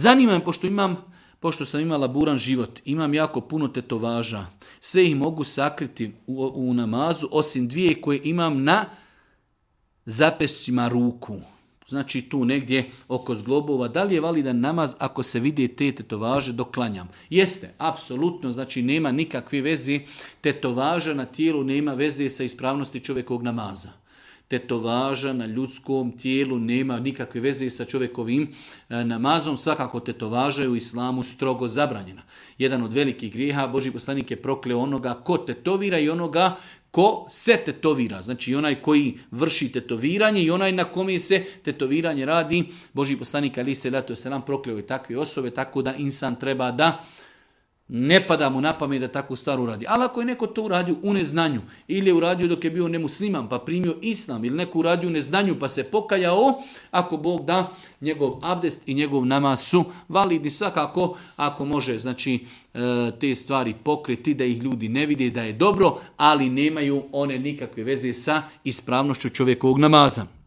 Zanima me, pošto sam imala buran život, imam jako puno tetovaža. Sve ih mogu sakriti u namazu, osim 2 koje imam na zapescima ruku. Znači tu negdje oko zglobova. Da li je validan namaz ako se vide te tetovaže dok klanjam? Jeste, apsolutno. Znači nema nikakve veze. Tetovaža na tijelu nema veze sa ispravnosti čovjekovog namaza. Tetovaža na ljudskom tijelu nema nikakve veze sa čovjekovim namazom. Svakako tetovaža je u islamu strogo zabranjena. Jedan od velikih grijeha, Božji poslanik je prokleo onoga ko tetovira i onoga ko se tetovira. Znači onaj koji vrši tetoviranje i onaj na kome se tetoviranje radi. Božji poslanik alejhi selatu vesselam prokleo je takve osobe, tako da insan treba da ne pada mu na pamet da takvu stvar uradi. Ali ako je neko to uradio u neznanju ili je uradio dok je bio nemusliman pa primio islam ili neko uradio u neznanju pa se pokajao, ako Bog da, njegov abdest i njegov namaz su validni. Svakako ako može znači te stvari pokriti da ih ljudi ne vide da je dobro, ali nemaju one nikakve veze sa ispravnošću čovjekovog namaza.